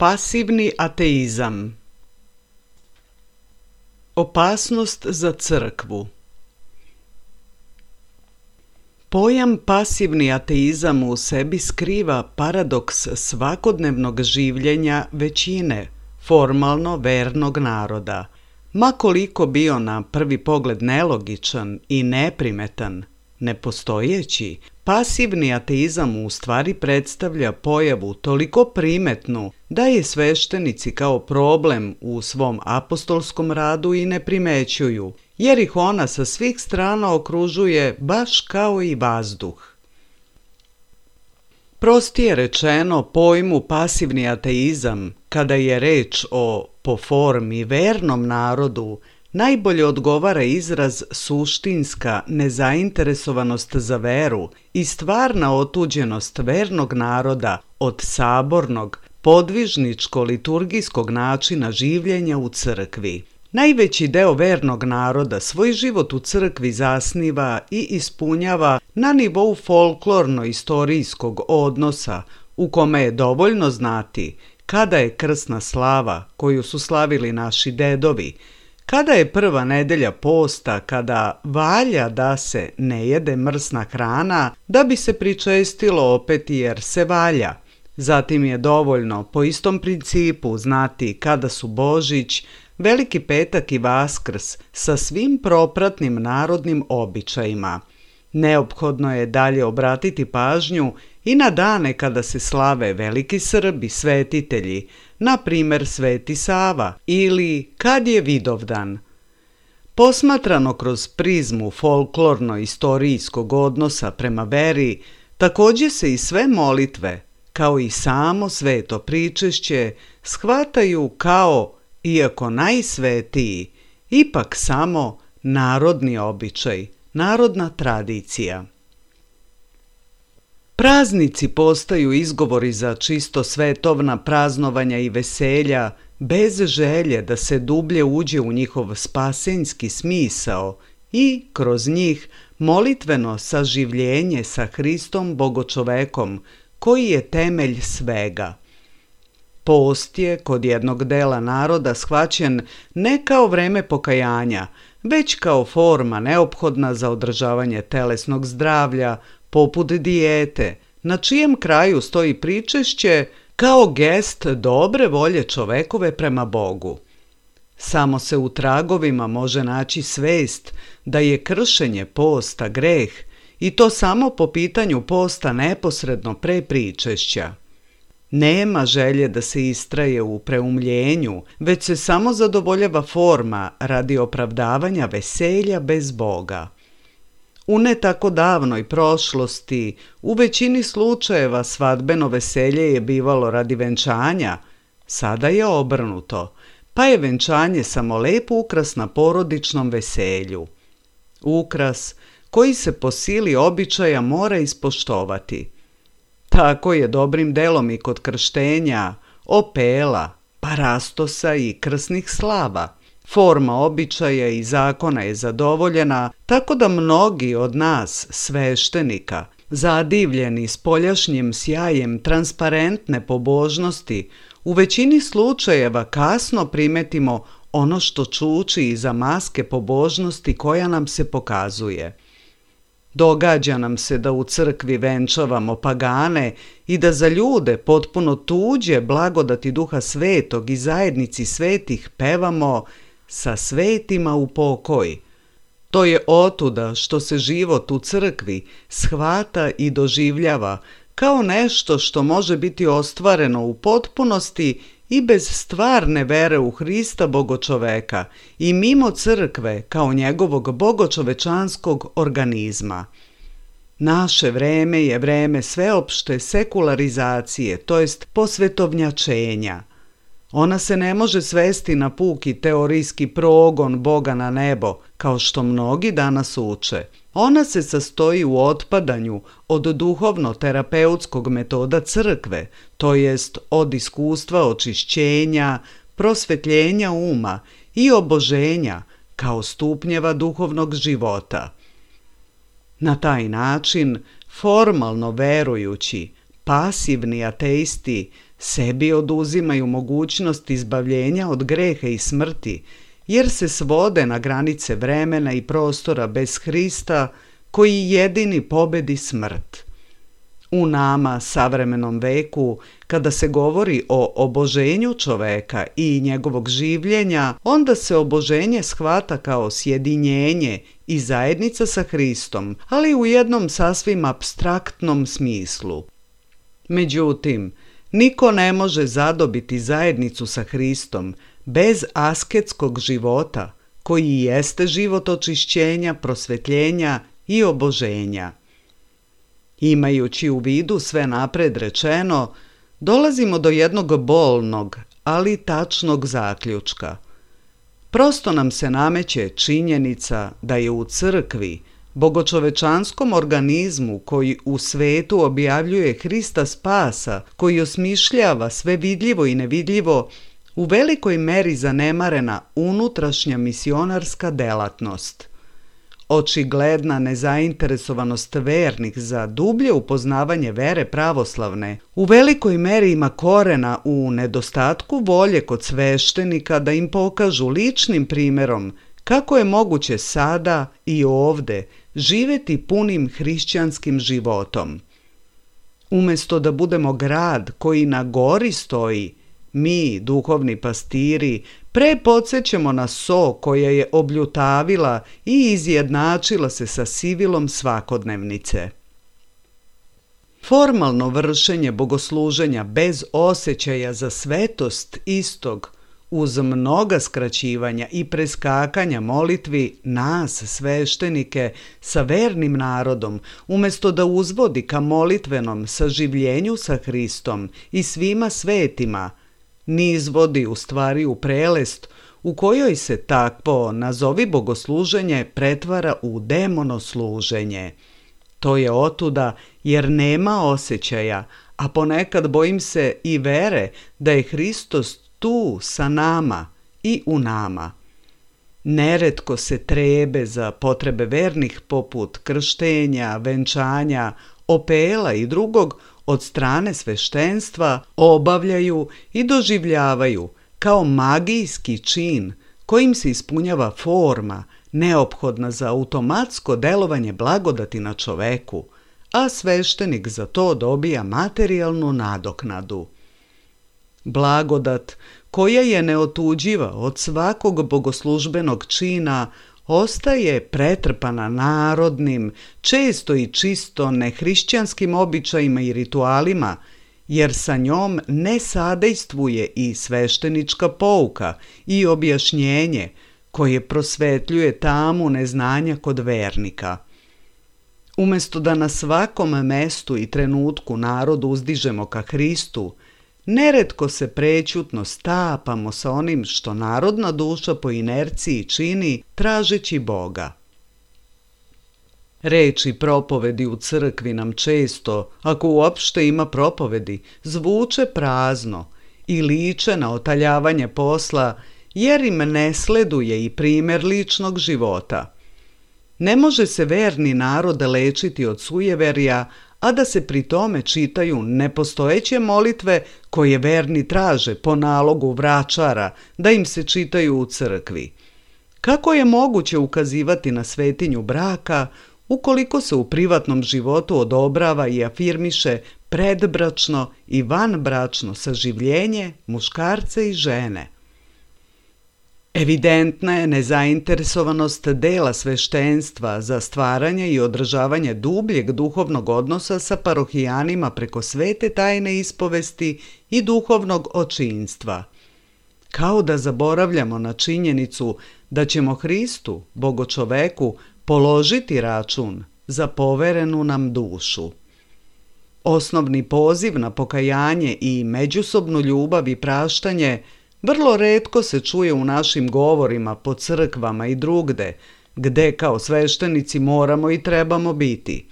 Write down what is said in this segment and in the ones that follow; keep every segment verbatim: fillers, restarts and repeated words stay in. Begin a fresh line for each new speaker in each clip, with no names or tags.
Pasivni ateizam. Opasnost za crkvu. Pojam pasivni ateizam u sebi skriva paradoks svakodnevnog življenja većine formalno vernog naroda. Ma koliko bio na prvi pogled nelogičan i neprimetan, nepostojeći, pasivni ateizam u stvari predstavlja pojavu toliko primetnu da je sveštenici kao problem u svom apostolskom radu i ne primećuju, jer ih ona sa svih strana okružuje baš kao i vazduh. Prostije rečeno, pojmu pasivni ateizam, kada je reč o po formi vernom narodu, najbolje odgovara izraz suštinska nezainteresovanost za veru i stvarna otuđenost vernog naroda od sabornog, podvižničko-liturgijskog načina življenja u crkvi. Najveći deo vernog naroda svoj život u crkvi zasniva i ispunjava na nivou folklorno-istorijskog odnosa u kome je dovoljno znati kada je krsna slava koju su slavili naši dedovi, kada je prva nedelja posta, kada valja da se ne jede mrsna hrana, da bi se pričestilo opet jer se valja. Zatim je dovoljno po istom principu znati kada su Božić, Veliki petak i Vaskrs sa svim propratnim narodnim običajima. Neophodno je dalje obratiti pažnju i na dane kada se slave veliki Srbi, svetitelji, na primjer Sveti Sava ili kad je Vidovdan. Posmatrano kroz prizmu folklorno-istorijskog odnosa prema veri, također se i sve molitve, kao i samo sveto pričešće, shvataju kao, iako najsvetiji, ipak samo narodni običaj, narodna tradicija. Praznici postaju izgovori za čisto svetovna praznovanja i veselja, bez želje da se dublje uđe u njihov spasenjski smisao i, kroz njih, molitveno saživljenje sa Hristom Bogočovekom, koji je temelj svega. Post je kod jednog dela naroda shvaćen ne kao vreme pokajanja, već kao forma neophodna za održavanje telesnog zdravlja, poput dijete, na čijem kraju stoji pričešće kao gest dobre volje čovekove prema Bogu. Samo se u tragovima može naći svest da je kršenje posta greh i to samo po pitanju posta neposredno pre pričešća. Nema želje da se istraje u preumljenju, već se samo zadovoljava forma radi opravdavanja veselja bez Boga. U ne tako davnoj prošlosti, u većini slučajeva svadbeno veselje je bivalo radi venčanja, sada je obrnuto, pa je venčanje samo lep ukras na porodičnom veselju. Ukras koji se po sili običaja mora ispoštovati. Tako je dobrim delom i kod krštenja, opela, parastosa i krsnih slava. Forma običaja i zakona je zadovoljena, tako da mnogi od nas, sveštenika, zadivljeni spoljašnjim sjajem transparentne pobožnosti, u većini slučajeva kasno primetimo ono što čuči iza maske pobožnosti koja nam se pokazuje. Događa nam se da u crkvi venčavamo pagane i da za ljude potpuno tuđe blagodati Duha Svetog i zajednici svetih pevamo sa svetima u pokoj. To je otuda što se život u crkvi shvata i doživljava kao nešto što može biti ostvareno u potpunosti i bez stvarne vere u Hrista Bogočoveka i mimo crkve kao njegovog bogočovečanskog organizma. Naše vreme je vreme sveopšte sekularizacije, to jest posvetovnjačenja. Ona se ne može svesti na puki teorijski progon Boga na nebo, kao što mnogi danas uče. Ona se sastoji u otpadanju od duhovno-terapeutskog metoda crkve, to jest od iskustva očišćenja, prosvetljenja uma i oboženja kao stupnjeva duhovnog života. Na taj način, formalno verujući, pasivni ateisti sebi oduzimaju mogućnost izbavljenja od greha i smrti, jer se svode na granice vremena i prostora bez Hrista, koji jedini pobedi smrt. U nama, savremenom veku, kada se govori o oboženju čoveka i njegovog življenja, onda se oboženje shvata kao sjedinjenje i zajednica sa Hristom, ali u jednom sasvim apstraktnom smislu. Međutim, niko ne može zadobiti zajednicu sa Hristom bez asketskog života, koji jeste život očišćenja, prosvetljenja i oboženja. Imajući u vidu sve napred rečeno, dolazimo do jednog bolnog, ali tačnog zaključka. Prosto nam se nameće činjenica da je u crkvi, bogočovečanskom organizmu koji u svetu objavljuje Hrista spasa, koji osmišljava sve vidljivo i nevidljivo, u velikoj meri zanemarena unutrašnja misionarska delatnost. Očigledna nezainteresovanost vernih za dublje upoznavanje vere pravoslavne u velikoj meri ima korena u nedostatku volje kod sveštenika da im pokažu ličnim primjerom kako je moguće sada i ovde živjeti punim hrišćanskim životom. Umjesto da budemo grad koji na gori stoji, mi, duhovni pastiri, pre podsjećamo na so koja je obljutavila i izjednačila se sa sivilom svakodnevnice. Formalno vršenje bogosluženja bez osjećaja za svetost istog, uz mnoga skraćivanja i preskakanja molitvi nas, sveštenike, sa vernim narodom, umjesto da uzvodi ka molitvenom saživljenju sa Hristom i svima svetima, nizvodi u stvari u prelest u kojoj se takvo, nazovi bogosluženje, pretvara u demonosluženje. To je otuda jer nema osjećaja, a ponekad bojim se i vere da je Hristos tu sa nama i u nama. Neretko se trebe za potrebe vernih poput krštenja, venčanja, opela i drugog od strane sveštenstva obavljaju i doživljavaju kao magijski čin kojim se ispunjava forma neophodna za automatsko delovanje blagodati na čoveku, a sveštenik za to dobija materijalnu nadoknadu. Blagodat, koja je neotuđiva od svakog bogoslužbenog čina, ostaje pretrpana narodnim, često i čisto nehrišćanskim običajima i ritualima, jer sa njom ne sadejstvuje i sveštenička pouka i objašnjenje koje prosvetljuje tamu neznanja kod vernika. Umjesto da na svakom mestu i trenutku narod uzdižemo ka Hristu, neretko se prećutno stapamo sa onim što narodna duša po inerciji čini tražeći Boga. Reči propovedi u crkvi nam često, ako uopšte ima propovedi, zvuče prazno i liče na otaljavanje posla, jer im ne sleduje i primjer ličnog života. Ne može se verni narod lečiti od sujeverja, a da se pri tome čitaju nepostojeće molitve koje verni traže po nalogu vračara da im se čitaju u crkvi. Kako je moguće ukazivati na svetinju braka ukoliko se u privatnom životu odobrava i afirmiše predbračno i vanbračno saživljenje muškarca i žene? Evidentna je nezainteresovanost dela sveštenstva za stvaranje i održavanje dubljeg duhovnog odnosa sa parohijanima preko svete tajne ispovesti i duhovnog očinstva. Kao da zaboravljamo na činjenicu da ćemo Hristu, Bogočoveku, položiti račun za poverenu nam dušu. Osnovni poziv na pokajanje i međusobnu ljubav i praštanje vrlo retko se čuje u našim govorima po crkvama i drugde, gde kao sveštenici moramo i trebamo biti.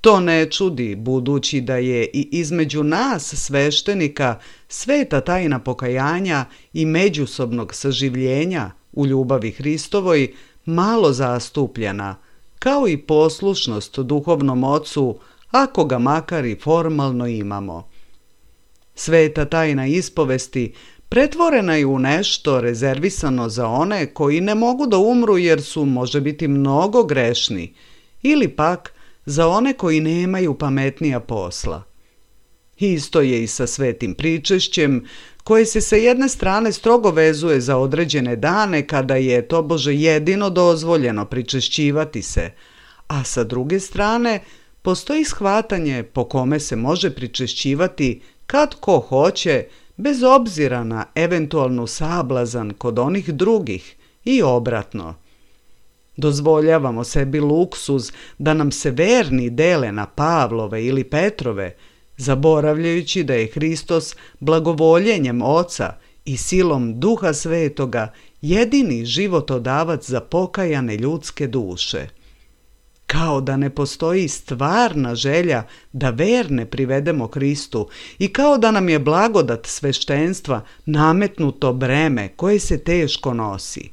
To ne čudi, budući da je i između nas sveštenika sveta tajna pokajanja i međusobnog saživljenja u ljubavi Hristovoj malo zastupljena, kao i poslušnost duhovnom ocu, ako ga makar i formalno imamo. Sveta tajna ispovesti pretvorena je u nešto rezervisano za one koji ne mogu da umru jer su može biti mnogo grešni, ili pak za one koji nemaju pametnija posla. Isto je i sa svetim pričešćem, koje se sa jedne strane strogo vezuje za određene dane kada je tobože jedino dozvoljeno pričešćivati se, a sa druge strane postoji shvatanje po kome se može pričešćivati kad ko hoće, bez obzira na eventualnu sablazan kod onih drugih i obratno. Dozvoljavamo sebi luksuz da nam se verni dele na Pavlove ili Petrove, zaboravljajući da je Hristos blagovoljenjem Oca i silom Duha Svetoga jedini životodavac za pokajane ljudske duše. Kao da ne postoji stvarna želja da verne privedemo Hristu i kao da nam je blagodat sveštenstva nametnuto breme koje se teško nosi.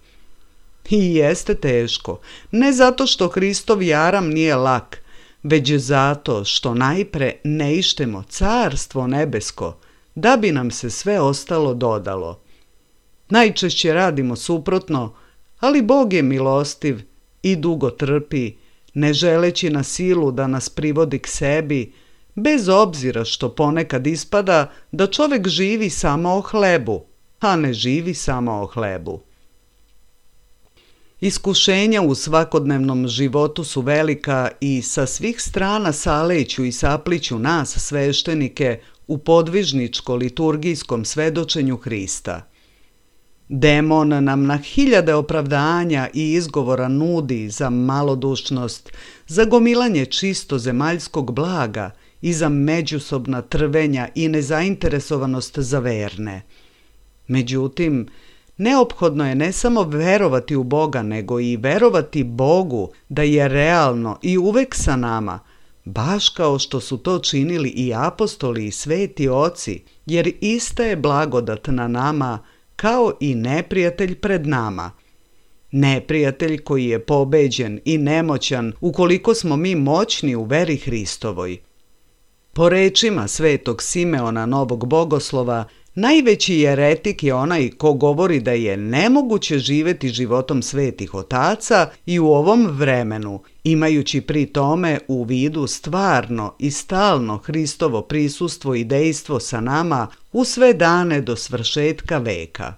I jeste teško, ne zato što Hristov jaram nije lak, već zato što najpre ne ištemo carstvo nebesko, da bi nam se sve ostalo dodalo. Najčešće radimo suprotno, ali Bog je milostiv i dugo trpi, ne želeći na silu da nas privodi k sebi, bez obzira što ponekad ispada da čovjek živi samo o hlebu, a ne živi samo o hlebu. Iskušenja u svakodnevnom životu su velika i sa svih strana saleću i sapliću nas sveštenike u podvižničko-liturgijskom svedočenju Hrista. Demon nam na hiljade opravdanja i izgovora nudi za malodušnost, za gomilanje čisto zemaljskog blaga i za međusobna trvenja i nezainteresovanost za verne. Međutim, neophodno je ne samo verovati u Boga, nego i verovati Bogu da je realno i uvek sa nama, baš kao što su to činili i apostoli i sveti oci, jer ista je blagodat na nama kao i neprijatelj pred nama. Neprijatelj koji je pobeđen i nemoćan ukoliko smo mi moćni u veri Hristovoj. Po rečima svetog Simeona Novog Bogoslova, najveći jeretik je onaj ko govori da je nemoguće živjeti životom svetih otaca i u ovom vremenu, imajući pri tome u vidu stvarno i stalno Hristovo prisustvo i dejstvo sa nama u sve dane do svršetka veka.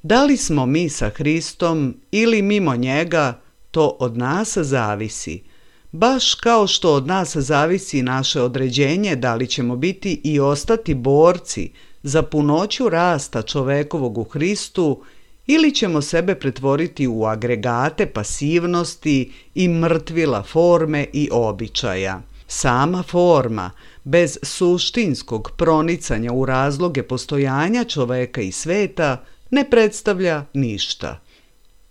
Da li smo mi sa Hristom ili mimo njega, to od nas zavisi. Baš kao što od nas zavisi naše određenje da li ćemo biti i ostati borci za punoću rasta čovekovog u Hristu ili ćemo sebe pretvoriti u agregate pasivnosti i mrtvila forme i običaja. Sama forma, bez suštinskog pronicanja u razloge postojanja čoveka i sveta, ne predstavlja ništa.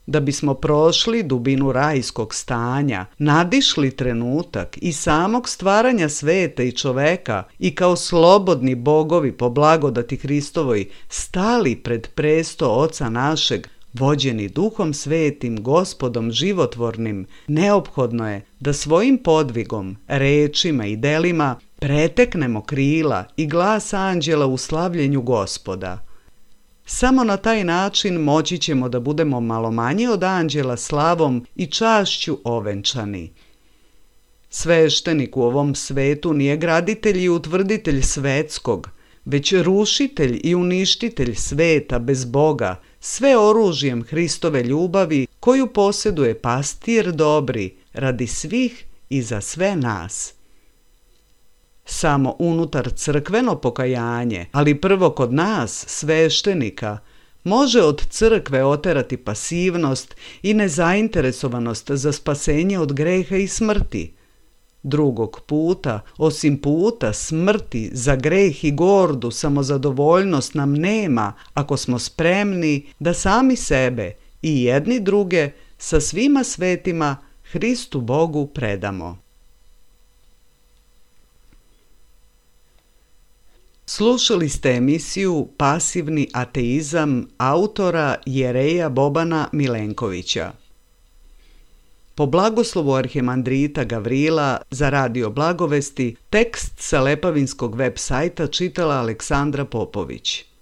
Da bismo prošli dubinu rajskog stanja, nadišli trenutak i samog stvaranja sveta i čoveka i kao slobodni bogovi po blagodati Hristovoj stali pred presto Oca našeg, vođeni Duhom Svetim, Gospodom životvornim, neophodno je da svojim podvigom, rečima i delima preteknemo krila i glas anđela u slavljenju Gospoda. Samo na taj način moći ćemo da budemo malo manji od anđela slavom i čašću ovenčani. Sveštenik u ovom svetu nije graditelj i utvrditelj svetskog, već rušitelj i uništitelj sveta bez Boga, sve oružjem Hristove ljubavi koju posjeduje pastir dobri radi svih i za sve nas. Samo unutar crkveno pokajanje, ali prvo kod nas, sveštenika, može od crkve oterati pasivnost i nezainteresovanost za spasenje od greha i smrti. Drugog puta, osim puta smrti za greh i gordu samozadovoljnost nam nema ako smo spremni da sami sebe i jedni druge sa svima svetima Hristu Bogu predamo. Slušali ste emisiju Pasivni ateizam autora Jereja Bobana Milenkovića. Po blagoslovu arhimandrita Gavrila za Radio Blagovesti, tekst sa Lepavinskog web sajta čitala Aleksandra Popović.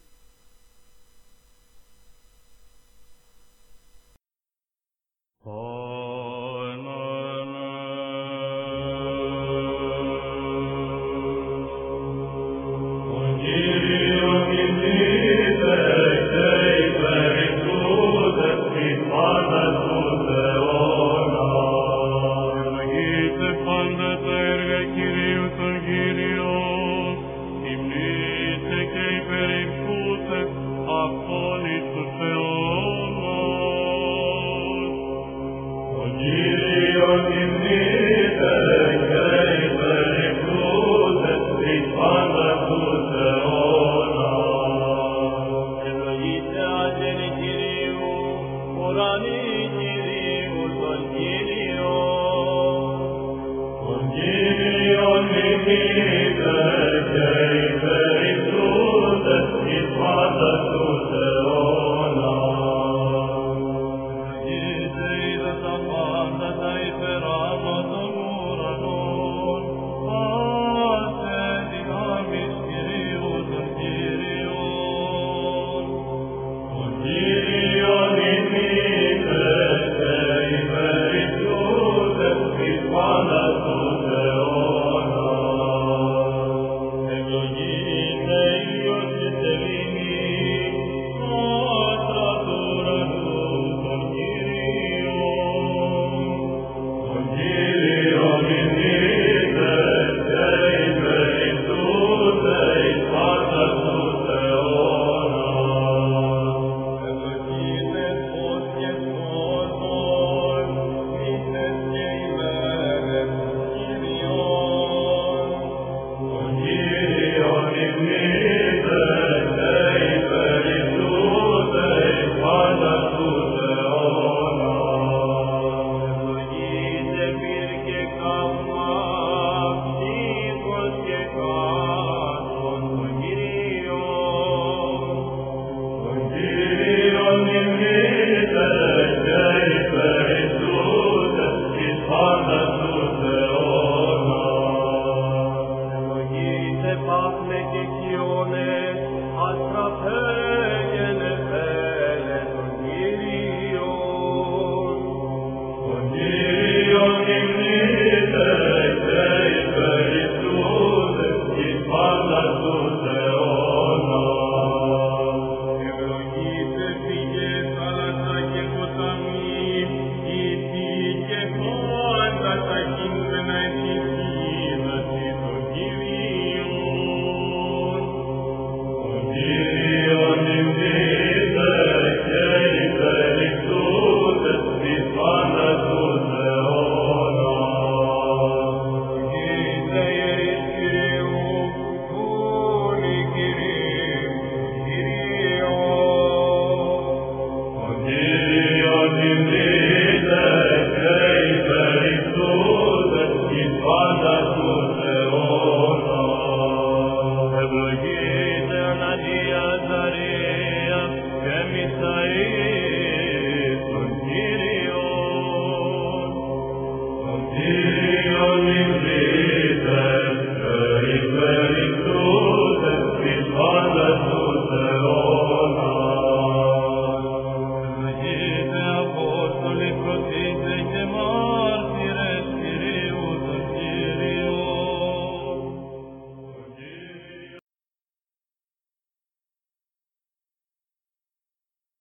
Kyrie,